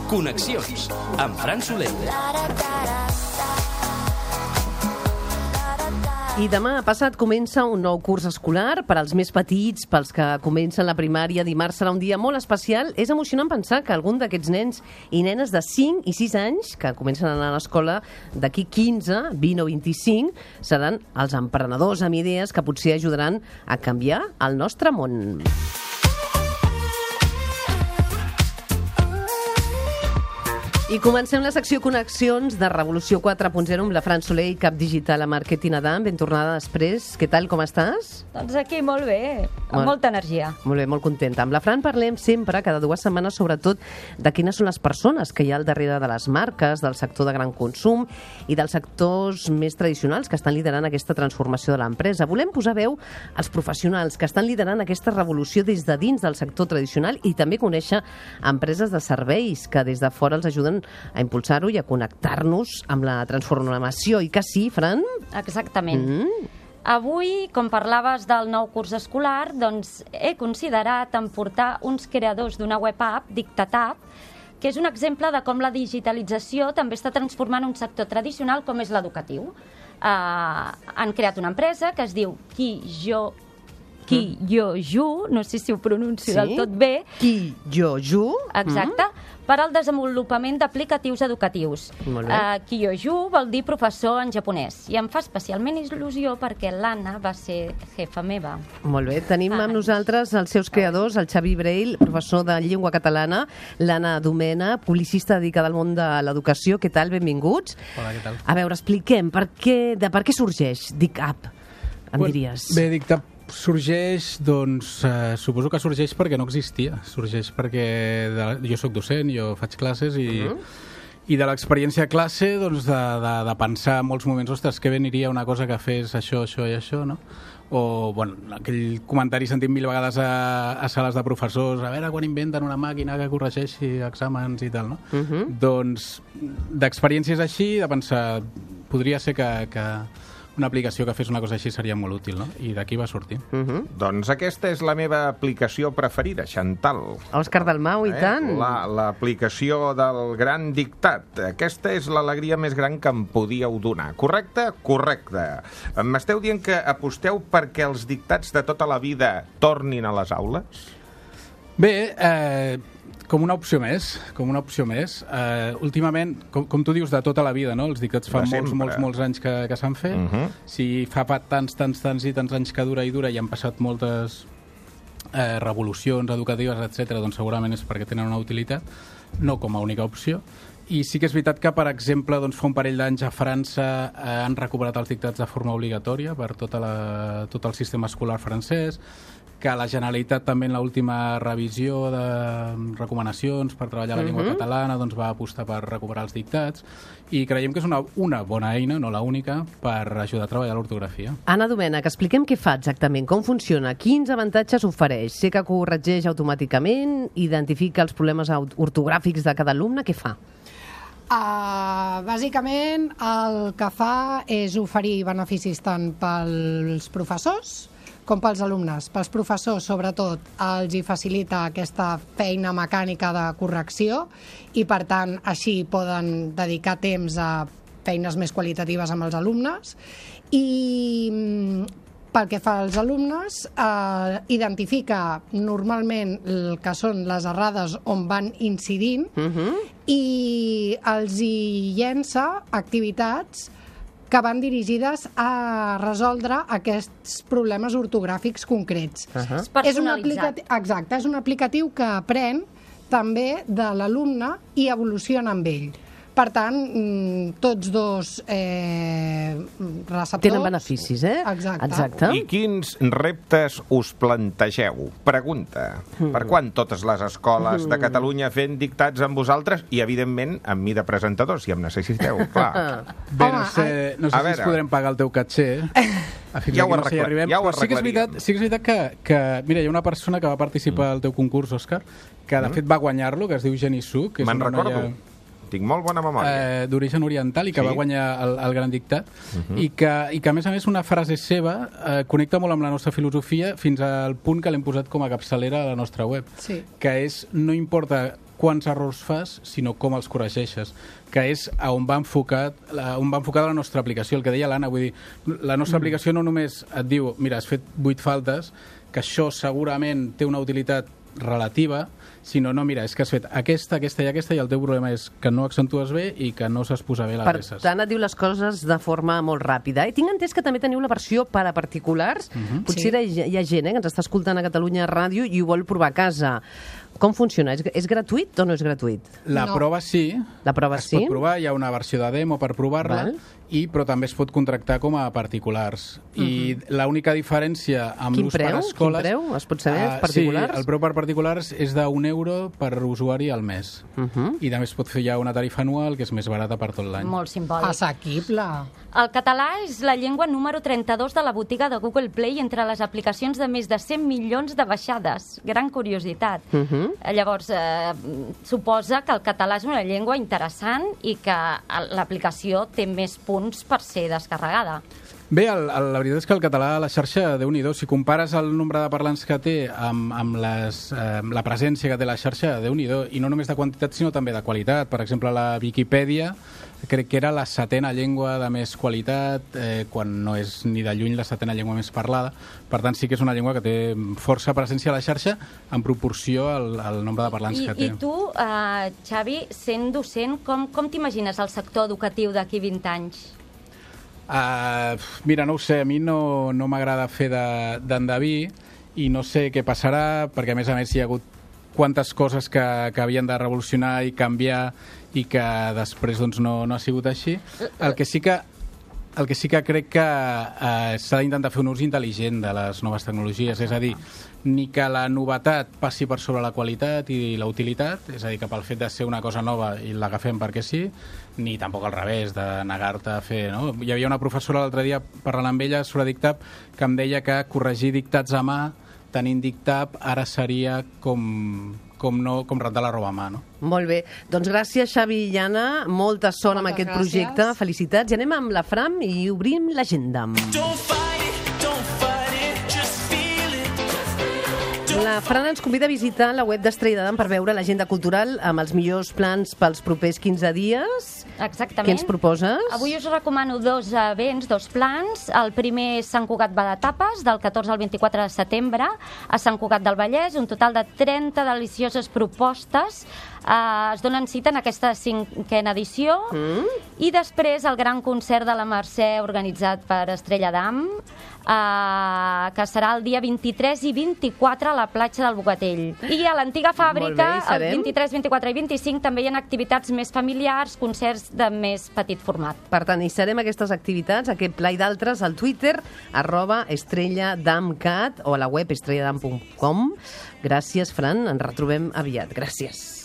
Connexions, amb Fran Soler. I demà passat comença un nou curs escolar per als més petits, pels que comencen la primària. Dimarts serà un dia molt especial. És emocionant pensar que algun d'aquests nens i nenes de 5 i 6 anys que comencen a anar a l'escola d'aquí 15, 20 o 25 seran els emprenedors amb idees que potser ajudaran a canviar el nostre món. I comencem la secció Connexions de Revolució 4.0 amb la Fran Soler, cap digital a Màrqueting Adam. Ben tornada després. Què tal, com estàs? Doncs aquí molt bé, amb molta energia. Molt bé, molt contenta. Amb la Fran parlem sempre, cada 2 setmanes, sobretot de quines són les persones que hi ha al darrere de les marques, del sector de gran consum i dels sectors més tradicionals que estan liderant aquesta transformació de l'empresa. Volem posar veu als professionals que estan liderant aquesta revolució des de dins del sector tradicional i també conèixer empreses de serveis que des de fora els ajuden a impulsar-ho i a connectar-nos amb la transformació. I que sí, Fran? Exactament. Avui, com parlaves del nou curs escolar, doncs he considerat emportar uns creadors d'una web app, DictatApp, que és un exemple de com la digitalització també està transformant un sector tradicional com és l'educatiu. Han creat una empresa que es diu Kiyoju, no sé si ho pronuncio del tot bé. Kiyoju. Exacte, per al desenvolupament d'aplicatius educatius. Kiyoju vol dir professor en japonès i em fa especialment il·lusió perquè l'Anna va ser jefa meva. Molt bé, tenim amb nosaltres els seus creadors, el Xavi Breil, professor de llengua catalana, l'Anna Domena, publicista dedicada al món de l'educació. Què tal? Benvinguts. Hola, què tal? A veure, expliquem, per què sorgeix DicApp, em diries? Bé, DicApp sorgeix, doncs, suposo que sorgeix perquè no existia. Sorgeix perquè jo sóc docent, jo faig classes i de l'experiència a classe, doncs, de pensar en molts moments, ostres, que bé aniria una cosa que fes això, això i això, no? O, bueno, aquell comentari sentit 1000 vegades a sales de professors, a veure quan inventen una màquina que corregeixi exàmens i tal, no? Doncs, d'experiències així, de pensar, podria ser que una aplicació que fes una cosa així seria molt útil, no? I d'aquí va sortir. Doncs aquesta és la meva aplicació preferida, Chantal. Òscar Dalmau, i tant. L'aplicació del gran dictat. Aquesta és l'alegria més gran que em podíeu donar. Correcte? Correcte. M'esteu dient que aposteu perquè els dictats de tota la vida tornin a les aules? Bé, com una opció més. Últimament, com tu dius, de tota la vida, no? Els dictats fa molts anys que s'han fet. Si fa tants i tants anys que dura i han passat moltes revolucions educatives, etc., doncs segurament és perquè tenen una utilitat, no com a única opció. I sí que és veritat que, per exemple, doncs, fa un parell d'anys a França han recuperat els dictats de forma obligatòria per tot el sistema escolar francès, que la Generalitat també en l'última revisió de recomanacions per treballar la llengua catalana doncs va apostar per recuperar els dictats i creiem que és una bona eina, no la única, per ajudar a treballar l'ortografia. Anna Domènech, expliquem què fa exactament, com funciona, quins avantatges ofereix. Sé que corregeix automàticament, identifica els problemes ortogràfics de cada alumne, què fa? Bàsicament el que fa és oferir beneficis tant pels professors com pels alumnes. Pels professors, sobretot, els hi facilita aquesta feina mecànica de correcció i, per tant, així poden dedicar temps a feines més qualitatives amb els alumnes. I pel que fa als alumnes, identifica normalment el que són les errades on van incidint i els hi llença activitats que van dirigides a resoldre aquests problemes ortogràfics concrets. És personalitzat. Exacte, és un aplicatiu que aprèn també de l'alumne i evoluciona amb ell. Per tant, tots dos receptors... Tenen beneficis, eh? Exacte. I quins reptes us plantegeu? Pregunta. Per quan totes les escoles de Catalunya fent dictats amb vosaltres i, evidentment, amb mi de presentador, si em necessiteu, clar. Bé, no sé si ens podrem pagar el teu caché. Ja ho arreglarem. Però sí que és veritat que... Mira, hi ha una persona que va participar al teu concurs, Òscar, que de fet va guanyar-lo, que es diu Jenny Su. Me'n recordo. Tinc molt bona memòria. D'origen oriental i que va guanyar el Gran Dictat, i que, a més a més, una frase seva connecta molt amb la nostra filosofia fins al punt que l'hem posat com a capçalera a la nostra web, que és: no importa quants errors fas, sinó com els corregeixes, que és on va enfocada la nostra aplicació. El que deia l'Anna, vull dir, la nostra aplicació no només et diu, mira, has fet 8 faltes, que això segurament té una utilitat relativa, sinó, no, mira, és que has fet aquesta i aquesta, i el teu problema és que no accentues bé i que no saps posar bé les peces. Per tant, et diu les coses de forma molt ràpida. Tinc entès que també teniu la versió per a particulars. Potser hi ha gent que ens està escoltant a Catalunya Ràdio i ho vol provar a casa. Com funciona? És gratuït o no és gratuït? La prova sí. La prova es pot provar, hi ha una versió de demo per provar-la, però també es pot contractar com a particulars. I l'única diferència amb l'ús per escoles... Quin preu? Es pot saber, particulars? Sí, el preu per particulars és d'€1 per usuari al mes. I també es pot fer ja una tarifa anual, que és més barata per tot l'any. Molt simbòlic. Assequible. El català és la llengua número 32 de la botiga de Google Play entre les aplicacions de més de 100 milions de baixades. Gran curiositat. Llavors, suposa que el català és una llengua interessant i que l'aplicació té més punts per ser descarregada. Bé, la veritat és que el català a la xarxa, Déu-n'hi-do, si compares el nombre de parlants que té amb la presència que té la xarxa, Déu-n'hi-do, i no només de quantitat, sinó també de qualitat. Per exemple, la Viquipèdia crec que era la 7ª llengua de més qualitat, quan no és ni de lluny la 7ª llengua més parlada. Per tant, sí que és una llengua que té força presència a la xarxa en proporció al nombre de parlants que té. I tu, Xavi, sent docent, com t'imagines el sector educatiu d'aquí 20 anys? Mira, no ho sé, a mi no m'agrada fer d'endeví i no sé què passarà, perquè a més hi ha hagut quantes coses que havien de revolucionar i canviar i que després doncs, no ha sigut així. El que sí que crec que s'ha d'intentar fer un ús intel·ligent de les noves tecnologies, és a dir, ni que la novetat passi per sobre la qualitat i la utilitat, és a dir, que pel fet de ser una cosa nova i l'agafem perquè sí, ni tampoc al revés, de negar-te a fer... No? Hi havia una professora l'altre dia parlant amb ella sobre Dictap que em deia que corregir dictats a mà tenint Dictap ara seria com rentar la roba a mà, no? Molt bé. Doncs gràcies, Xavi i Anna. Molta sort amb aquest projecte. Felicitats. I anem amb la Fran i obrim l'agenda. La Fran ens convida a visitar la web d'Estrella d'Adam per veure l'agenda cultural amb els millors plans pels propers 15 dies. Exactament. Què ens proposes? Avui us recomano 2 events, 2 plans. El primer és Sant Cugat va de tapes, del 14 al 24 de setembre, a Sant Cugat del Vallès, un total de 30 delicioses propostes. Es donen cita en aquesta 5ª edició. I després el gran concert de la Mercè organitzat per Estrella d'Adam, que serà el dia 23 i 24 a la platja del Bogatell. I a l'antiga fàbrica, el 23, 24 i 25, també hi ha activitats més familiars, concerts de més petit format. Per tant, hi serem aquestes activitats, aquest pla i d'altres, al Twitter, @estrellaDamcat, o a la web estrellaDam.com. Gràcies, Fran. Ens retrobem aviat. Gràcies.